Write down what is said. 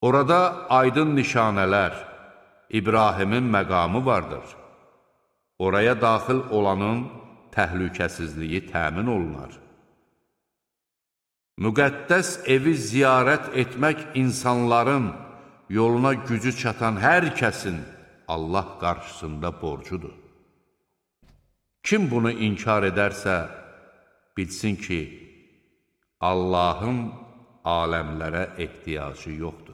Orada aydın nişanələr, İbrahimin məqamı vardır. Oraya daxil olanın təhlükəsizliyi təmin olunar. Müqəddəs evi ziyarət etmək insanların yoluna gücü çatan hər kəsin Allah qarşısında borcudur. Kim bunu inkar edərsə, bilsin ki, Allahın aləmlərə ehtiyacı yoxdur.